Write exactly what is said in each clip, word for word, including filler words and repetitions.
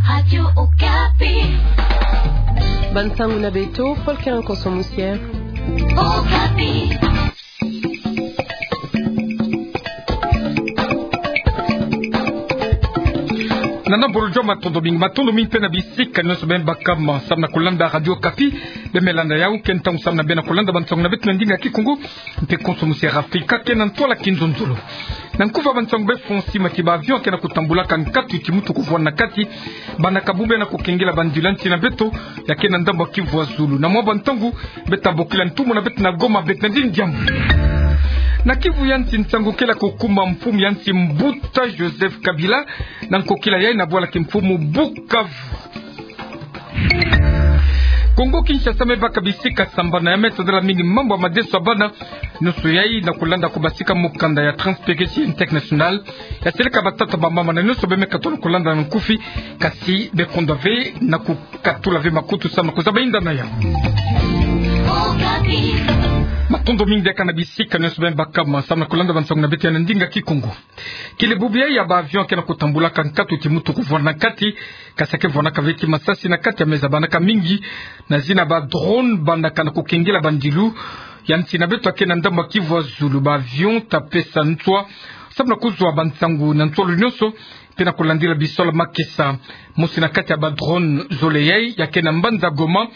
Radio Okapi. Bansangu na beto, Paul Kerenko Somusier. Okapi. Nana bolo joma, matondo mingi, matondo mingi mpe na bisika nyonso beno baka samu na kulanda Radio Okapi. Beno me landa yau, ke ntangu samu na beno kulanda bansangu na beto na ndinga Kikongo, mpe konso musi ya Afrika, ke na ntwala kinzonzolo. Na nkufi ya bansangu beno fweti mona ti ba avion ke na kutambulaka nkatu ti mutu kuvwanda na kati, bandaka bubu ya na kukengela bandilu ya nsi na beto, ya ke na ndambu ya Kivu ya zulu. Na mwa bantangu, beta bokila ntumwa na beto na Goma, Bernardine Diambu. Na Kivu ya nsi, nsangu kele ya kukuma mfumu ya nsi Mbuta Joseph Kabila, na nkokila yayi na bwala kimfumu Bukavu. Kongo Kinshasa me baka bisika sambana ya me tadala mingi mambu ya madeso ya bana. Nyonso yayi na kulanda ko basika mukanda ya Transparency International, ya seleka batata, bamama na nyonso beno me katuka na kulanda na nkufi, kasi beno kondwa ve na kukatula ve makutu samu na kuzaba inda na yau. Matondo mingi diaka na bisika nyonso beno baka samu na kulanda bansangu na beto ya na ndinga Kikongo. Kele bubu yayi ya ba avion ke na kutambulaka nkatu ti mutu kuvwanda na kati, kasi ya ke vwandaka ve ti masasi na kati ya meza, bandaka mingi na zina ba drone, bandaka na kukengela bandilu ya nsi na beto ya ke na ndambu ya Kivu ya zulu. Ba avion ta pesa nswa samu na kuzwa bansangu na nsolo nyonso, mpe na kulandila bisalu ya makesa. Mosi na kati ya ba drone zole yayi ya ke na mbanza Goma,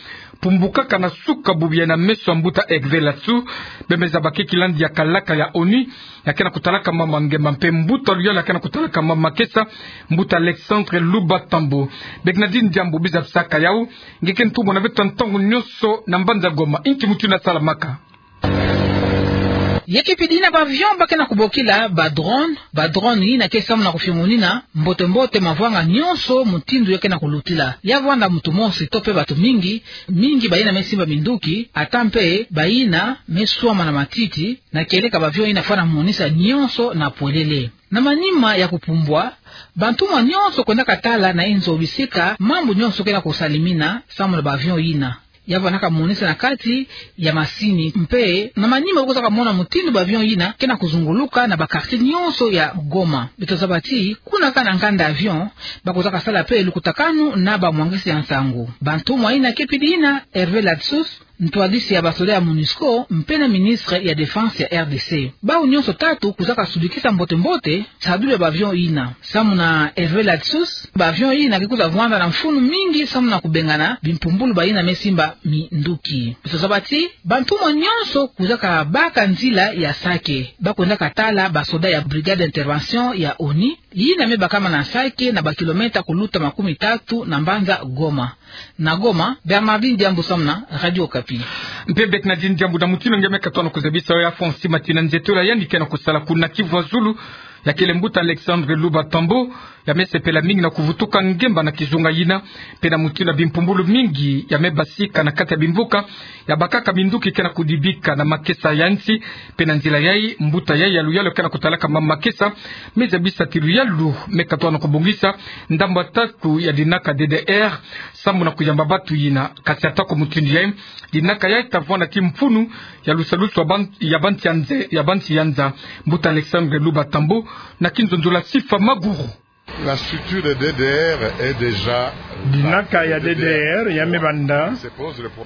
pumbukaka na suka bubu yayi na meso ya Mbuta Hervé Latsous. Beno me zaba ke kilandi ya kalaka ya ONU, ya ke na kutalaka mambu ya ngemba, mpe mbuta luyalu ya ke na kutalaka mambu ya makesa, Mbuta Alexandre Luba Tambo. Bernardine Diambu, biza bisaka yau, nge ke ntumwa na beto ntangu nyonso na mbanza Goma, inki mutindu ya salamaka? Ya ke pidi yina ba avion ba ke na kubokila ba drone, ba drone yina ke samu na kufiongonina mbote-mbote mavanga nyonso mutindu ya ke na kulutila. Ya vwanda muntu mosi to mpe batu mingi, mingi bayina me simba minduki, ata mpe bayina me swama na matiti, na kieleka ba avion yina fwana monisa nyonso na pwelele. Na manima ya kupumbwa, bantumwa nyonso kwendaka tala na inzo bisika mambu nyonso ke na kusalamina samu na ba avion yina. Ya vwandaka monisa na kati ya masini, mpe na manima ba kwizaka mona mutindu ba avion yina ke na kuzunguluka na ba quartier nyonso ya Goma. Beto zaba ti kuna kaka na nkanda avion, ba kwizaka sala mpe lukutakanu na ba mwangisi ya nsangu. Bantumwa yina ke pidi yina Hervé Latsous, ntwadisi ya ba soda ya MONUSCO, mpe na ministre ya Défense ya R D C. Bawu nyonso tatu kwizaka sudikisa mbote-mbote nsadulu ya ba avion yina. Samu na Hervé Latsous, ba avion yina ke kwiza vwanda na mfunu mingi samu na kubengana bimpumbulu bayina me simba minduki. Beto zaba ti bantumwa nyonso kwizaka baka nzila ya Sake, ba kwendaka tala ba soda ya Brigade d'intervention ya ONU, yina me bakama na Sake na ba kilomètre kuluta makumi tatu na mbanza Goma. Na Goma, Bernardine Diambu samu na Radio Okapi. Mpe Bernardine Diambu, na mutindu nge me katuka na kuzabisa yo, ya fwa nsi mati na nzietolo ya yandi ke na kusala kuna Kivu ya zulu, ya kele Mbuta Alexandre Luba Tambo, ya me sepela mingi na kuvutuka ngemba na kizunga yina, mpe na mutindu ya bimpumbulu mingi ya me basika na kati ya bimvuka, ya bakaka minduki ke na kudibika na makesa ya nsi. Mpe na nzila yayi, mbuta yayi ya luyalu ke na kutalaka mambu ya makesa me zabisa ti luyalu me katuka na kubongisa ndambu ya tatu ya dinaka D D R, samu na kuyamba batu yina. Kasi atako mutindu yayi, dinaka yayi ta vwanda ti mfunu ya lusalusu ya ban-, ya bansi ya nze-, ya bansi ya nza. Mbuta Alexandre Luba Tambo, na kinzonzolo ya Sifa Maguru. La structure de D D R est déjà là. Dinaka ya D D R ya me banda,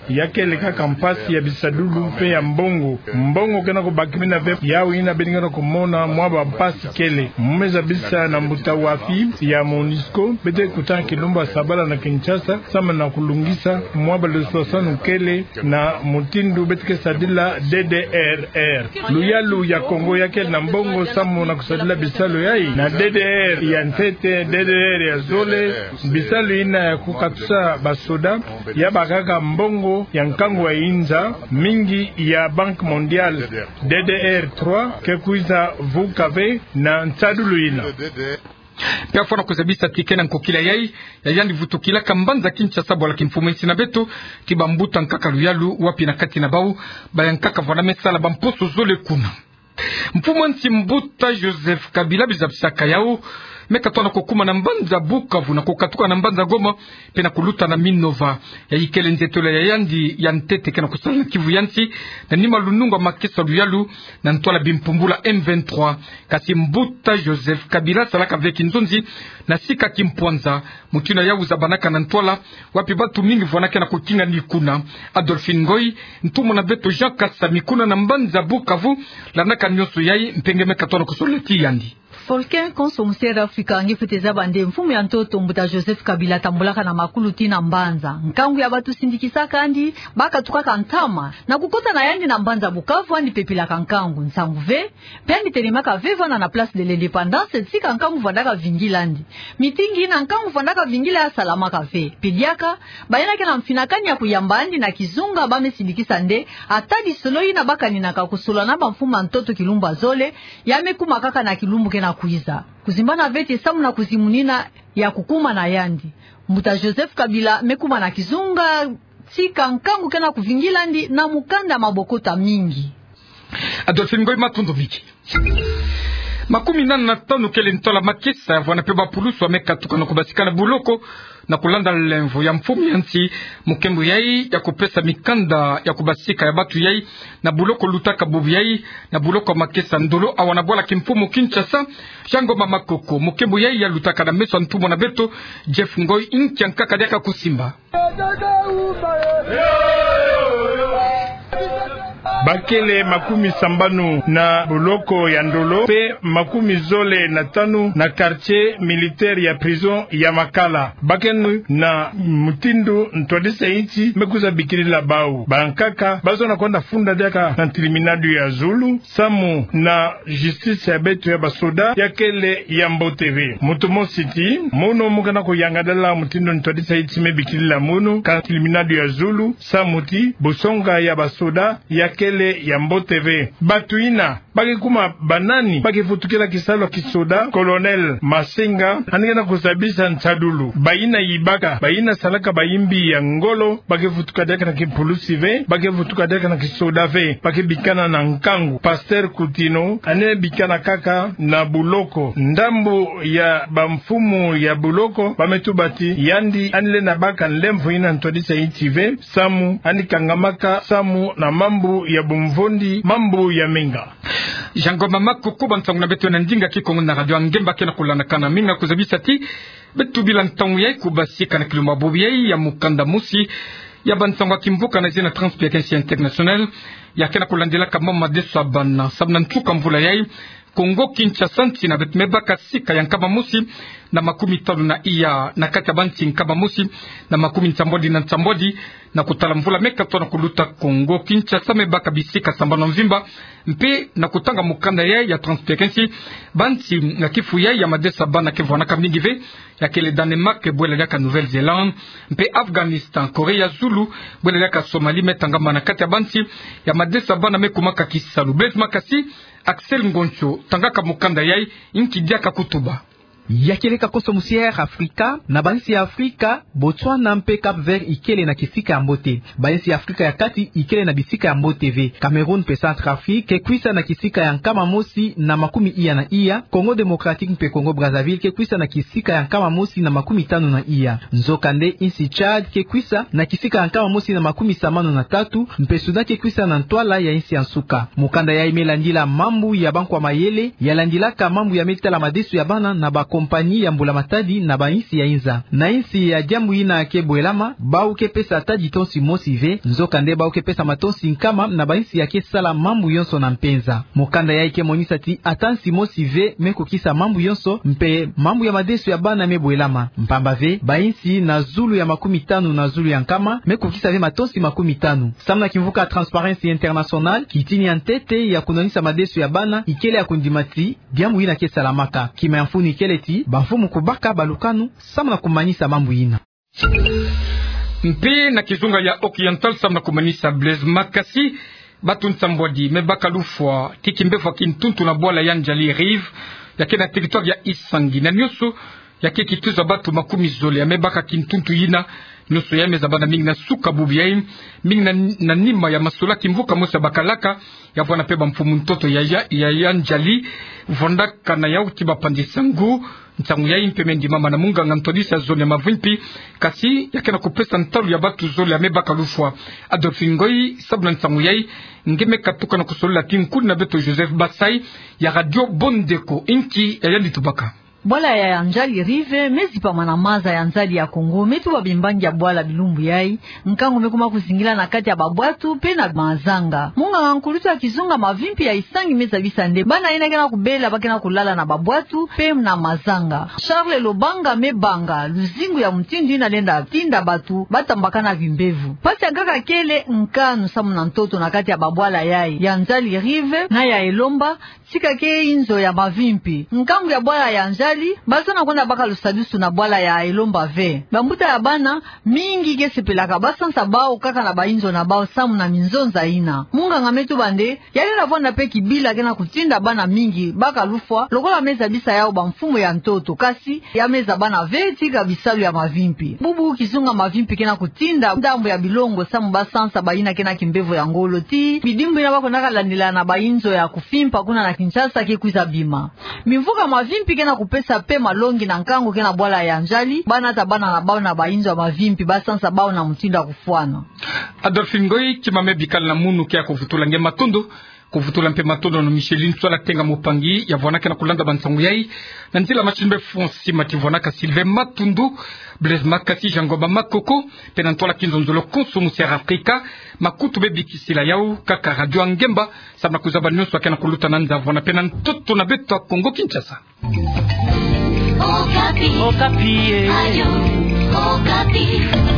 ya kele kaka mpasi ya bisadulu mpe ya mbongo. Mbongo ke na kubakimina ve, yawu yina beno ke na kumona mwa ba mpasi kele. Mu me zabisa na mbuta Wafi ya MONUSCO, beto ke kutana kilumbu ya sabala na Kinshasa, samu na kulungisa mwa ba luswaswanu kele na mutindu beto ke sadila D D R R. Luyalu ya Kongo ya kele na mbongo samu na kusadila bisalu yayi. Na D D R ya ntete, D D R ya zole, bisalu yina ya kukatusa ba soda, ya bakaka mbongo ya nkangu ya inza, mingi ya Banque Mondiale. D D R trois ke kwiza vuka ve na nsadulu yina. Mpe afwana kuzabisa ti ke na nkokila yayi, ya yandi vutukilaka mbanza Kinshasa bwala kimfumu ya nsi na beto, ti bambuta nkaka luyalu, wapi na kati na bawu bayankaka vwanda me sala bamposo zole kuna. Mfumu ya nsi Mbuta Joseph Kabila, biza bisaka yawu, me katoa na kukuma na mbanza Bukavu na kukatuka na mbanza Goma, mpe na kuluta na Minova. Yayi kele nzietolo ya yandi ya ntete ke na kusala na Kivu ya nsi, na nima lunungu a makesa luyalu na ntwala bimpumbula M vingt-trois. Kasi mbuta Joseph Kabila salaka ve kinzonzi na sika kimpwanza, mutindu ya uza banaka na ntwala, wapi batu mingi vwanaka na kukinga ni kuna. Adolphine Ngoy, ntumwa na beto Jean Kasami kuna na mbanza Bukavu, landaka nionso yayi, mpe nge me katoa na kusolola ti yandi. Volker, konso musi ya Afrika, nge fwete zaba nde mfumu ya ntoto mbuta Joseph Kabila tambulaka na makulu tii na mbanza. Nkangu ya batu sindikisaka yandi, bakatukaka ntama, na kukota na yandi na mbanza Bukavu, yandi pepilaka nkangu, nsangu ve, mpe yandi telemaka ve vwanda na Place de l'Indépendance, tika nkangu vwandaka vingila yandi. Mitingi yina nkangu vwandaka vingila ya salamaka ve. Mpe diaka, bayina ke na mfinakani ya kuyamba yandi na kizunga, ba me sindikisa nde, ata lisolo yina bakaninaka kusolola na bamfumu ya ntoto kilumbu ya zole, ya me kuma kaka na kilumbu ke na kwiza. Kuzimbana ve ti samu na kuzimunina ya kukuma na yandi. Mbuta Joseph Kabila me kuma na kizunga, tika nkangu ke na kuvingila yandi na mukanda ya mabokota mingi. Adolphine Ngoy, matondo mingi. Makumi nana na tanu kele ntwala makesa ya vwana mpe bapulusu ya me katuka na kubasika na buloko, na kulanda lemvo ya mfumu ya nsi, mu nkembo yayi ya kupesa mikanda ya kubasika ya batu yayi na buloko lutaka bubu yayi, na buloko ya makesa Ndolo awa na bwala kimfumu Kinshasa. Jean Ngoma Makoko, mu nkembo yayi ya lutaka na meso ya ntumwa na beto Jeff Ngoy, inki ya nkaka diaka kusimba. Bakele makumi sambanu na buloko ya Ndolo, mpe makumi zole na tanu na quartier militaire ya prison ya Makala. Bakele na mutindu ntwadisa insi me kwiza bikilila bau. Bankaka bazo na kwenda funda diaka na tribunal ya zulu, samu na justice ya beto ya basoda ya kele ya mbote ve. Mutu mosi ti, mono mu ke na kuyangalala mutindu ntwadisa insi me bikilila mono ka tribunal ya zulu, samu ti busonga ya basoda ya kele ya mbote ve. Batu yina ba ke kuma banani? Ba ke vutukila kisalu ya kisoda, Colonel Masenga, yandi ke na kuzabisa nsadulu. Bayina yibaka, bayina salaka bayimbi ya ngolo, ba ke vutuka diaka na kipulusi ve, ba ke vutuka diaka na kisoda ve, ba ke bikana na nkangu. Pasteur Coutinho, yandi bikana kaka na buloko. Ndambu ya bamfumu ya buloko ba me tuba ti yandi, yandi lenda baka nlemvo yina ntwadisa insi ve, samu yandi kangamaka samu na mambu ya bumvondi, mambu ya menga. Jean Ngoma Makoko, bansangu na beto na ndinga Kikongo na Radio Ngemba ke na kulandakana. Mingi na kuzabisa ti beto bila ntangu yayi kubasika na kilumbu bubu yayi ya mukanda mosi ya bansangu ya kimvuka na zina Transparency International, ya ke na kulandilaka mambu madeso ya bana. Samu na nsuka mvula yayi, Kongo Kinshasa, nsi na beto me baka sika ya nkama mosi na makumi tanu na iya na kati ya bansi nkama mosi na makumi nsambwadi na nsambwadi. Na kutala mvula me katoa na kuluta, Kongo Kinshasa me baka bisika sambanu ya mvimba. Mpe na kutanga mukanda yayi ya Transparency, bansi na kifu yayi ya madeso ya bana ke vwanaka mingi ve, ya kele Danemark, bwela diaka Nouvelle-Zélande, mpe Afghanistan, Corée ya Zulu, bwela diaka Somalie, me tangama na kati ya bansi ya madeso ya bana me kumaka kisalu. Blaise Makasi, Axel Ngoncho, tangaka mukanda yayi, inki diaka kutuba. Ya kele ka konso mosi ya Air Africa, na bansi ya Afrika, Botswana mpe Cap-Vert ikele na kisika ya mbote. Bansi ya Afrika ya kati ikele na bisika ya mbote ve. Cameroun mpe Centrafrique ke kwisa na kisika ya nkama mosi na makumi iya na iya, Congo Démocratique mpe Congo Brazzaville ke kwisa na kisika ya nkama mosi na makumi tanu na iya. Nzokande insi Tchad ke kwisa na kisika ya nkama mosi na makumi sambanu na tatu, mpe Soudan ke kwisa na ntwala ya insi ya nsuka. Mukanda yayi me landila mambu ya bankwa mayele ya landilaka mambu ya me tala madeso ya bana na bakompani ya mbula matadi na bainsi ya inza. Na insi ya diambu yina ke bwelama, bau ke pesa ata litonsi mosi ve, nzokande bau ke pesa matonsi nkama na bainsi ya ke sala mambu yonso na mpenza. Mukanda yayi ke monisa ti ata nsi mosi ve me kukisa mambu yonso, mpe mambu ya madeso ya bana me bwelama. Mpamba ve, bainsi na zulu ya makumi tanu na zulu ya nkama me kukisa ve matonsi makumi tanu. Samu na kimvuka Transparency International, kitini ya ntete ya kunwanisa madeso ya bana ikele ya kundima ti diambu yina ke salamaka. Kima ya mfunu ikele ti bamfumu kubaka balukanu samu na kumanisa mambu yina. Mpe na kizunga ya Occidental, samu na kumanisa, Blaise Makasi, batu nsambwadi me baka lufwa ti kimbefwa kintuntu na bwala ya N'djali Rive, ya ke na territoire ya Issangui. Na nionso Ya keke tuza batu makumi zole ya mebaka kintuntu yina, nyoso yai mezaba na mingi na suka bubu yai, mingi na, na nima ya masolaki mvuka mosi ya bakalaka, ya vwanda mpe bamfumu ntoto ya, ya, ya, ya N'Djali, vwandaka na yau ti bapandisa ngu. Nsangu yai mpe me ndimama na munganga ntwadisi ya zone ya Mavimpi, kasi ya ke na kupesa ntalu ya batu zole ya mebaka lufwa. Adolphe Ngoy, sabu na nsangu yai, nge me katuka na kusolola ti nkuni na beto Joseph Basai, ya Radio Bondeko, nki ya yandi tubaka. Bwala ya N'Djali River mezipama na maza ya N'Djali ya Congo, me tuba bimbangi ya bwala bilumbu yai, nkangu me kuma kuzingila na kati ya babwatu mpe na mazanga. Munganga nkulutu ya kizunga Mavimpi ya Isangi mezabisa nde bana yina ke na kubela ba ke na kulala na babwatu mpe na mazanga. Charles Lobanga me banga luzingu ya mutindu yina lenda tinda batu ba tambakana kimbevo. Mpasi ya nkaka kele nkanu samu na ntoto na kati ya babwala yai, ya N'Djali River na ya Elomba, tika ke inzo ya Mavimpi. Nkangu ya bwala ya N'Djali, bazana kwenda baka lusadusu na bwala ya Elomba ve. Bambuta ya bana mingi ke sepelaka ba sansa bau kaka na bainzo na bau samu na minzonza yina. Munganga me tuba nde, ya lenda vwanda mpe kibila ke na kutinda bana mingi baka lufwa, lokola mezabisa yau bamfumu ya ntoto, kasi ya mezaba na ve tika bisalu ya Mavimpi. Bubu kizunga Mavimpi ke na kutinda ndambu ya bilongo samu ba sansa bayina ke na kimbevo ya ngolo ti bidimbu yina ba kwendaka landila na bainzo ya kufimpa kuna na Kinshasa ke kwiza bima. Mimvuka Mavimpi ke na kupesa mpe malongi na nkangu ke na bwala ya N'Djali, ba nata bana na bau na bainzo ya Mavimpi, ba sansa bau na mutindu ya kufwana. Adolphe Ngoy, kima me bikala na munu ke ya kuvutula nge matondo, kuvutula mpe matondo na Micheline Tswala Tenga Mopangi, ya vwanaka na kulanda bansangu yai, na nzila machine mpe Francis Mati vwanaka, Sylvain Matundu, Blaise Makasi, Jean Ngomba Makoko, mpe na ntwala kinzonzolo konso musi ya Afrika, makutu me bikisila yau kaka Radio Ngemba, samu na kuzaba nyoso ya ke na kuluta na nza vwana mpe na ntoto na beto ya Kongo Kinshasa. Okapi. Okapi, eh. Radio Okapi.